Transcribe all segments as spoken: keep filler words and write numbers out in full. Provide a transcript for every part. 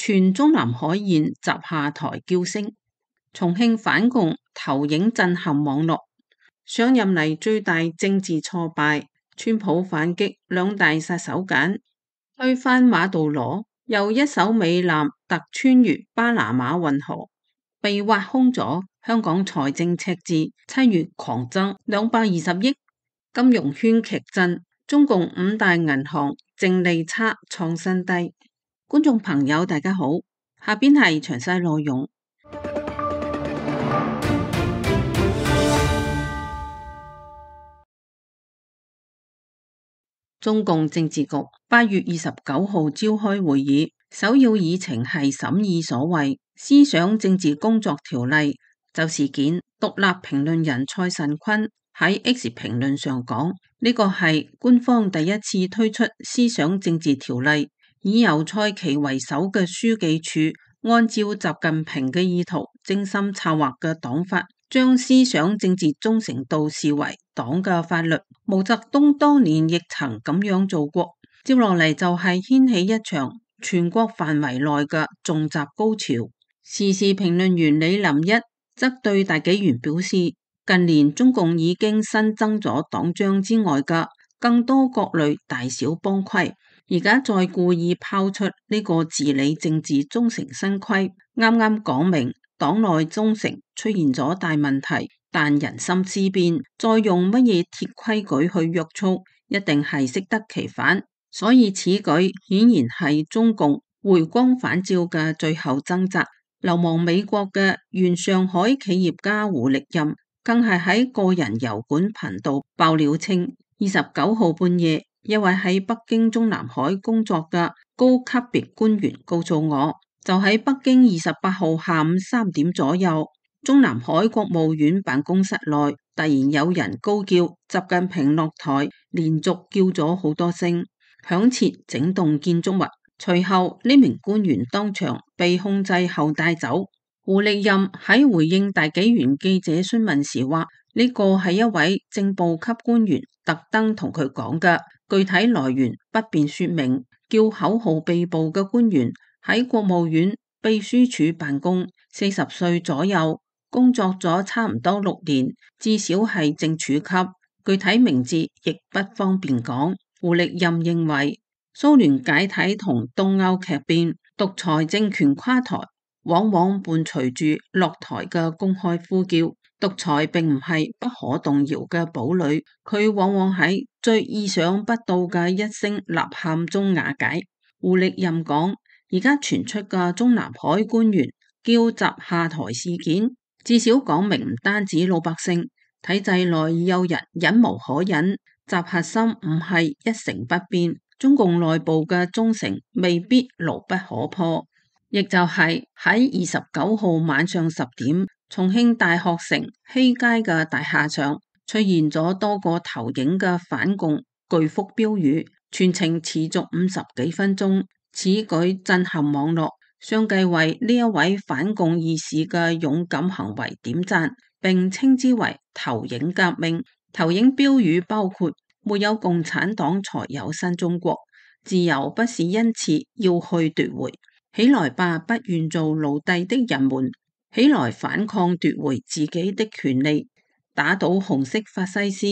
全中南海現集下台叫聲，重慶反共投影震撼網絡。上任嚟最大政治挫敗，川普反擊兩大殺手鐧，推翻馬杜羅，又一艘美艦突穿越巴拿馬運河，被挖空咗。香港財政赤字七月狂增兩百二十億，金融圈劇震，中共五大銀行淨利差創新低。觀眾朋友大家好，下邊係詳細內容。中共政治局八月二十九號召開會議，首要議程係審議所謂思想政治工作條例。就事件，獨立評論人蔡慎坤喺 X 評論上講，呢個係官方第一次推出思想政治條例，以由蔡奇為首嘅書記處按照習近平嘅意圖精心策劃嘅黨法，將思想政治忠誠度視為黨嘅法律。毛澤東當年亦曾咁樣做過。接落嚟就係掀起一場全國範圍內嘅重襲高潮。時事評論員李林一則對大紀元表示，近年中共已經新增咗黨章之外嘅更多各類大小幫規，而家再故意拋出呢個治理政治忠誠新規，啱啱講明黨內忠誠出現咗大問題，但人心思變，再用乜嘢鐵規矩去約束，一定係適得其反。所以此舉顯然係中共回光返照嘅最後掙扎。流亡美國嘅原上海企業家胡力任，更係喺個人油管頻道爆料稱，二十九號半夜，一位喺北京中南海工作嘅高級別官員告訴我，就喺北京二十八號下午三點左右，中南海國務院辦公室內突然有人高叫習近平落台，連續叫咗好多聲，響徹整棟建築物。隨後呢名官員當場被控制後帶走。胡力任喺回應大紀元記者詢問時話，呢個係一位正部級官員特登同佢講嘅，具體來源不便說明。叫口號被捕嘅官員喺國務院秘書處辦公，四十歲左右，工作咗差唔多六年，至少係正處級，具體名字亦不方便講。胡力任認為，蘇聯解體同東歐劇變，獨裁政權垮台，往往伴隨住落台嘅公開呼叫。獨裁並唔係不可動搖嘅堡壘，佢往往喺最意想不到嘅一聲吶喊中瓦解。胡力任講，而家傳出嘅中南海官員叫習下台事件，至少講明唔單止老百姓，體制內有人忍無可忍，習核心唔係一成不變。中共內部嘅忠誠未必牢不可破，亦就係喺二十九號晚上十點，重慶大學城西街嘅大廈上出現咗多個投影嘅反共巨幅標語，全程持續五十幾分鐘。此舉震撼網絡，相繼為呢一位反共義士嘅勇敢行為點讚，並稱之為投影革命。投影標語包括，沒有共產黨才有新中國，自由不是因此要去奪回，起來吧，不願做奴隸的人們，起來反抗奪回自己的權利，打倒紅色法西斯，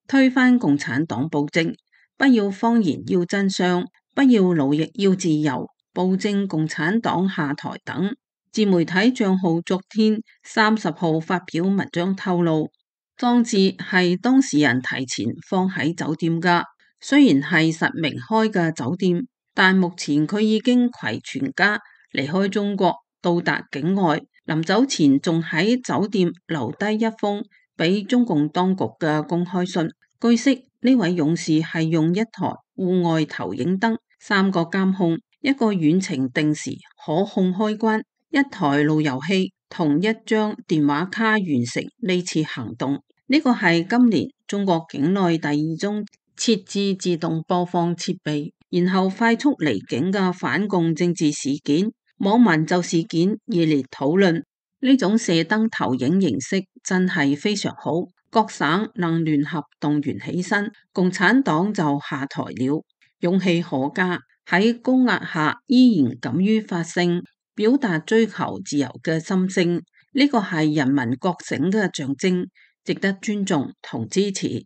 推翻共產黨暴政，不要謊言要真相，不要奴役要自由，暴政共產黨下台等。自媒體賬號昨天三十號發表文章透露，裝置係當事人提前放喺酒店噶，雖然係實名開嘅酒店，但目前佢已經攜全家離開中國，到達境外，臨走前仲喺酒店留低一封俾中共當局嘅公開信。據悉，呢位勇士係用一台戶外投影燈、三個監控、一個遠程定時可控開關、一台路由器同一張電話卡完成呢次行動。呢個係今年中國境內第二宗設置自動播放設備，然後快速離境嘅反共政治事件。網民就事件熱烈討論，呢種射燈投影形式真係非常好，各省能聯合動員起身，共產黨就下台了，勇氣可嘉。喺高壓下依然敢於發聲，表達追求自由嘅心聲，呢個係人民覺醒嘅象徵，值得尊重同支持。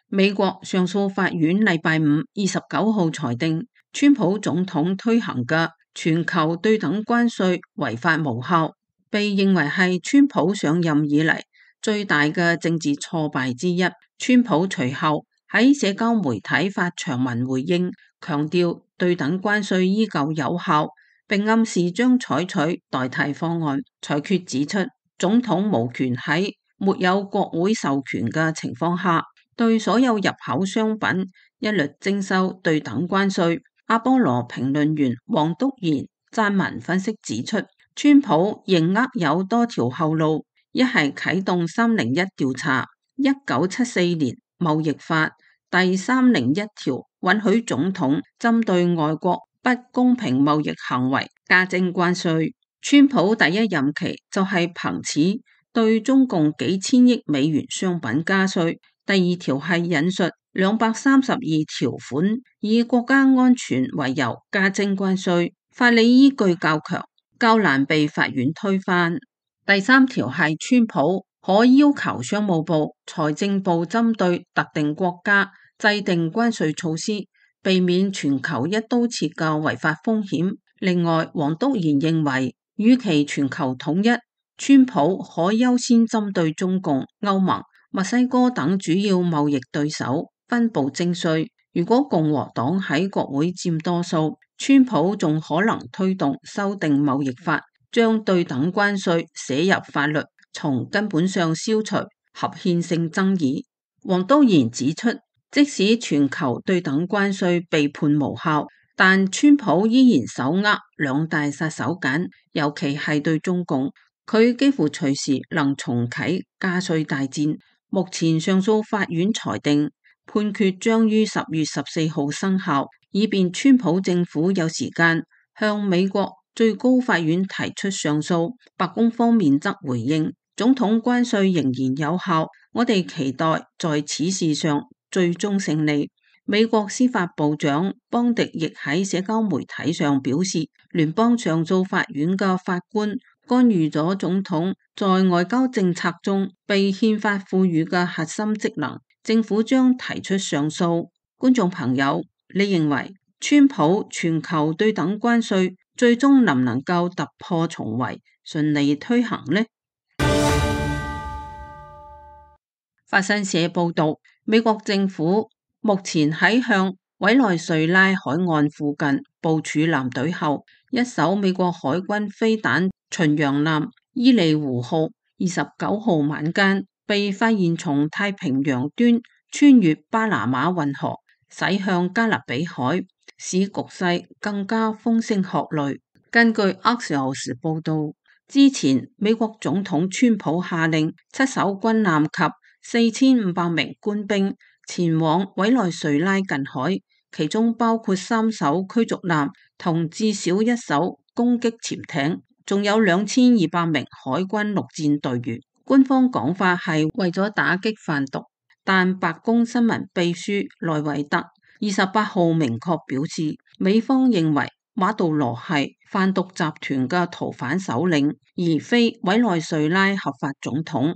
美國上訴法院禮拜五二十九號裁定，川普總統推行嘅全球對等關稅違法無效，被認為係川普上任以嚟最大嘅政治挫敗之一。川普隨後喺社交媒體發長文回應，強調對等關稅依舊有效，並暗示將採取代替方案。裁決指出，總統無權喺沒有國會授權嘅情況下，對所有入口商品一律徵收對等關稅。阿波羅評論員黃篤賢撰文分析指出，川普仍握有多條後路，一係啟動三零一調查，一九七四年貿易法第三零一條允許總統針對外國不公平貿易行為加徵關稅。川普第一任期就係憑此對中共幾千億美元商品加稅。第二條係引述兩百三十二條款，以國家安全為由加徵關稅，法理依據較強，較難被法院推翻。第三條係川普可要求商務部、財政部針對特定國家制定關稅措施，避免全球一刀切嘅違法風險。另外，黃篤賢認為，與其全球統一，川普可優先針對中共、歐盟、墨西哥等主要貿易對手分步徵稅。如果共和黨喺國會佔多數，川普仲可能推動修訂貿易法，將對等關稅寫入法律，從根本上消除合憲性爭議。黃篤賢指出，即使全球對等關稅被判無效，但川普依然手握兩大殺手鐧，尤其係對中共，佢幾乎隨時能重啟加稅大戰。目前上訴法院裁定判決將於十月十四號生效，以便川普政府有時間向美國最高法院提出上訴。白宮方面則回應，總統關稅仍然有效，我哋期待在此事上最終勝利。美國司法部長邦迪亦喺社交媒體上表示，聯邦上訴法院嘅法官干預咗總統在外交政策中被憲法賦予嘅核心職能，政府將提出上訴。觀眾朋友，你認為川普全球對等關稅最終能唔能夠突破重圍，順利推行呢？法新社報道，美國政府目前喺向委內瑞拉海岸附近部署艦隊後，一艘美國海軍飛彈巡洋艦伊利湖號二十九號晚間被發現從太平洋端穿越巴拿馬運河駛向加勒比海，使局勢更加風聲鶴唳。根據 Axios 報道，之前美國總統川普下令七艘軍艦及四千五百名官兵前往委內瑞拉近海，其中包括三艘驅逐艦同至少一艘攻擊潛艇，仲有兩千二百名海軍陸戰隊員。官方講法係為咗打擊販毒，但白宮新聞秘書萊維特二十八號明確表示，美方認為馬杜羅係販毒集團嘅逃犯首領，而非委內瑞拉合法總統。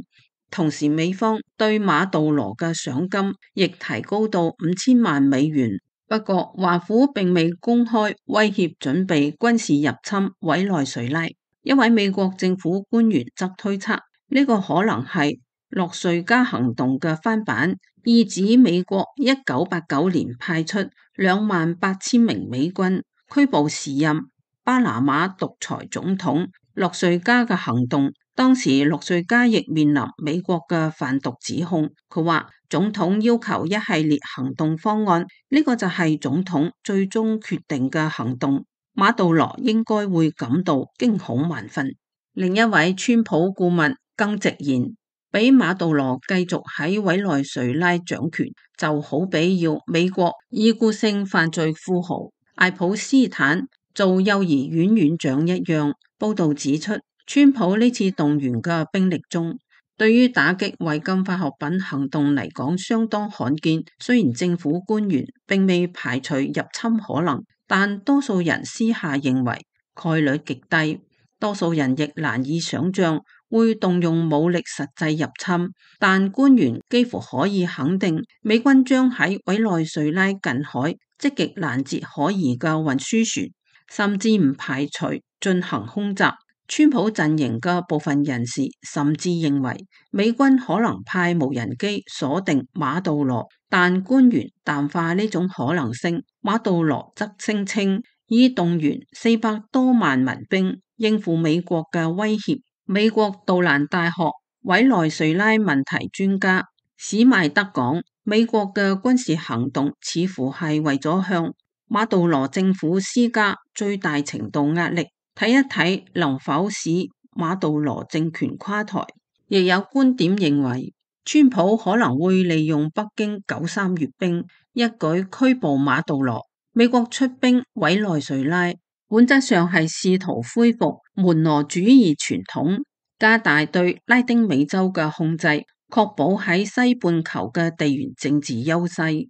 同時，美方對馬杜羅嘅賞金亦提高到五千萬美元。不過，華府並未公開威脅準備軍事入侵委內瑞拉。一位美國政府官員則推測，呢個可能係諾瑞加行動嘅翻版，意指美國一九八九年派出兩萬八千名美軍拘捕時任巴拿馬獨裁總統諾瑞加嘅行動。當時諾瑞加亦面臨美國嘅販毒指控。佢話總統要求一系列行動方案，呢個就係總統最終決定嘅行動。馬杜羅應該會感到驚恐萬分。另一位川普顧問更直言，俾馬杜羅繼續喺委內瑞拉掌權，就好比要美國已故性犯罪富豪艾普斯坦做幼兒園院長一樣。報道指出，川普呢次動員嘅兵力中，對於打擊違禁化學品行動嚟講相當罕見，雖然政府官員並未排除入侵可能，但多數人私下認為概率極低，多數人亦難以想象會動用武力實際入侵，但官員幾乎可以肯定，美軍將喺委內瑞拉近海積極攔截可疑嘅運輸船，甚至唔排除進行空襲。川普陣營嘅部分人士甚至認為美軍可能派無人機鎖定馬杜羅，但官員淡化呢種可能性。馬杜羅則聲稱已動員四百多萬民兵應付美國嘅威脅。美國杜蘭大學委內瑞拉問題專家史邁德講，美國嘅軍事行動似乎係為咗向馬杜羅政府施加最大程度壓力，睇一睇能否使馬杜羅政權垮台。亦有觀點認為，川普可能會利用北京九三閱兵，一舉拘捕馬杜羅。美國出兵委內瑞拉，本質上係試圖恢復門羅主義傳統，加大對拉丁美洲嘅控制，確保喺西半球嘅地緣政治優勢。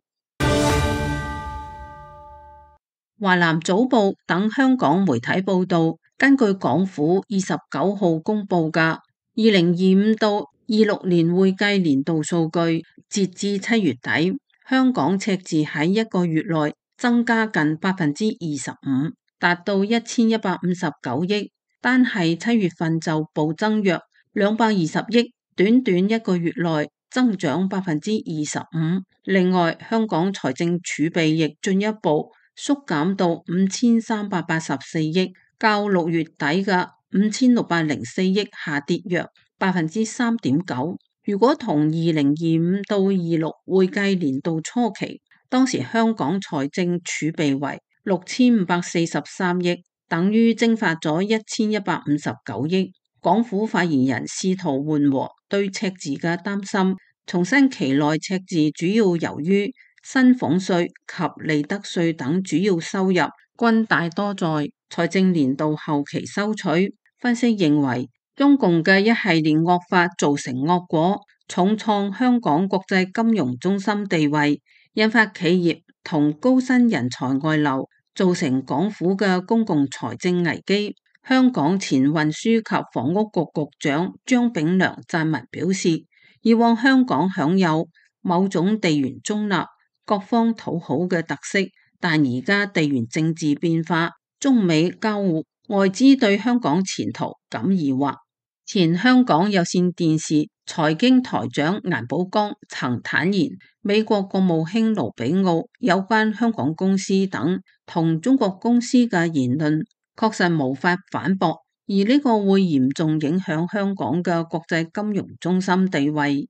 華南早報等香港媒體報道，根據港府二十九號公布嘅二零二五到二六年會計年度數據，截至七月底，香港赤字喺一個月內增加近百分之二十五，達到一千一百五十九億，單係七月份就暴增約兩百二十億，短短一個月內增長百分之二十五。另外，香港財政儲備亦進一步縮減到五千三百八十四億，較六月底嘅五千六百零四億下跌約百分之三點九。如果同二零二五到二六會計年度初期，當時香港財政儲備為六千五百四十三億，等於蒸發咗一千一百五十九億。港府發言人試圖緩和對赤字嘅擔心，重申期內赤字主要由於薪俸稅及利得稅等主要收入均大多在財政年度後期收取。分析認為，中共嘅一系列惡法造成惡果，重創香港國際金融中心地位，引發企業同高薪人才外流，造成港府嘅公共財政危機。香港前運輸及房屋局局長張炳良撰文表示，以往香港享有某種地緣中立、各方討好嘅特色，但而家地緣政治變化，中美交互，外資對香港前途感疑惑。前香港有線電視財經台長顏寶剛曾坦言，美國國務卿盧比奧有關香港公司等同中國公司嘅言論確實無法反駁，而呢個會嚴重影響香港嘅國際金融中心地位。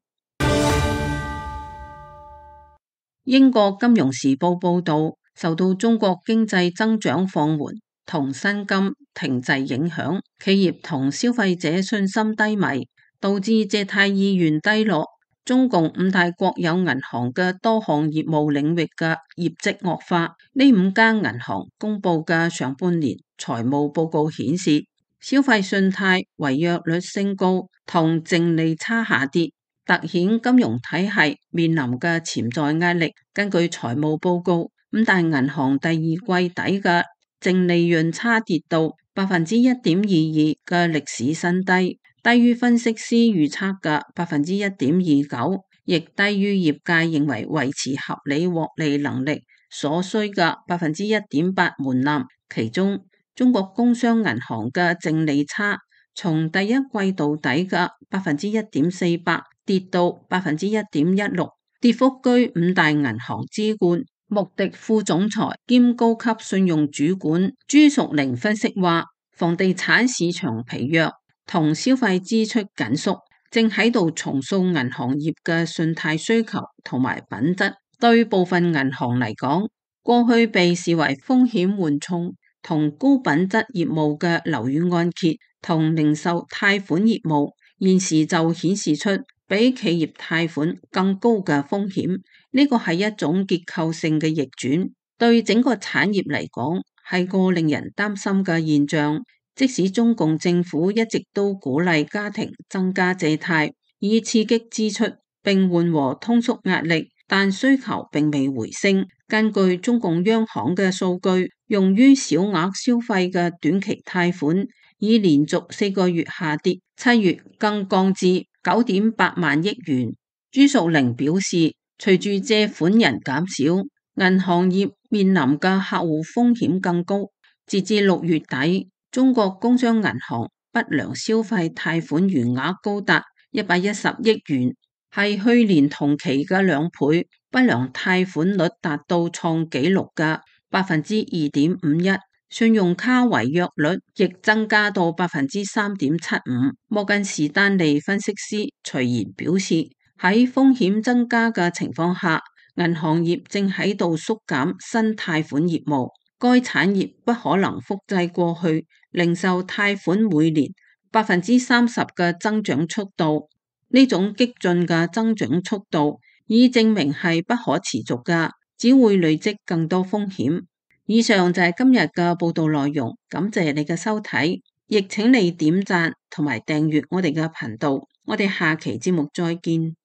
英國金融時報報道，受到中國經濟增長放緩同薪金停滯影響，企業同消費者信心低迷，導致借貸意願低落。中共五大國有銀行嘅多項業務領域嘅業績惡化。呢五間銀行公布嘅上半年財務報告顯示，消費信貸違約率升高同淨利差下跌，凸顯金融體系面臨嘅潛在壓力。根據財務報告，五大銀行第二季底嘅淨利潤差跌到百分之一點二二嘅歷史新低，低於分析師預測嘅百分之一點二九，亦低於業界認為維持合理獲利能力所需嘅百分之一點八門檻。其中，中國工商銀行嘅淨利差從第一季度底嘅百分之一點四八跌到百分之一點一六，跌幅居五大銀行之冠。穆迪副總裁兼高級信用主管朱淑玲分析話，房地產市場疲弱同消費支出緊縮，正喺度重塑銀行業嘅信貸需求同埋品質。對部分銀行嚟講，過去被視為風險緩衝同高品質業務嘅樓宇按揭同零售貸款業務，現時就顯示出比企業貸款更高嘅風險。呢個係一種結構性嘅逆轉，對整個產業嚟講係個令人擔心嘅現象。即使中共政府一直都鼓勵家庭增加借貸，以刺激支出並緩和通縮壓力，但需求並未回升。根據中共央行嘅數據，用於小額消費嘅短期貸款已連續四個月下跌，七月更降至九點八萬億元。朱淑玲表示，隨住借款人減少，銀行業面臨嘅客戶風險更高。截至六月底，中國工商銀行不良消費貸款餘額高達一百一十億元，係去年同期嘅兩倍。不良貸款率達到創紀錄嘅百分之二點五一，信用卡違約率亦增加到百分之三點七五。摩根士丹利分析師徐賢表示，喺風險增加嘅情況下，銀行業正喺度縮減新貸款業務。該產業不可能複製過去零售貸款每年百分之三十嘅增長速度。呢種激進嘅增長速度已證明係不可持續㗎，只會累積更多風險。以上就係今日嘅報道內容，感謝你嘅收睇，亦請你點讚同埋訂閱我哋嘅頻道。我哋下期節目再見。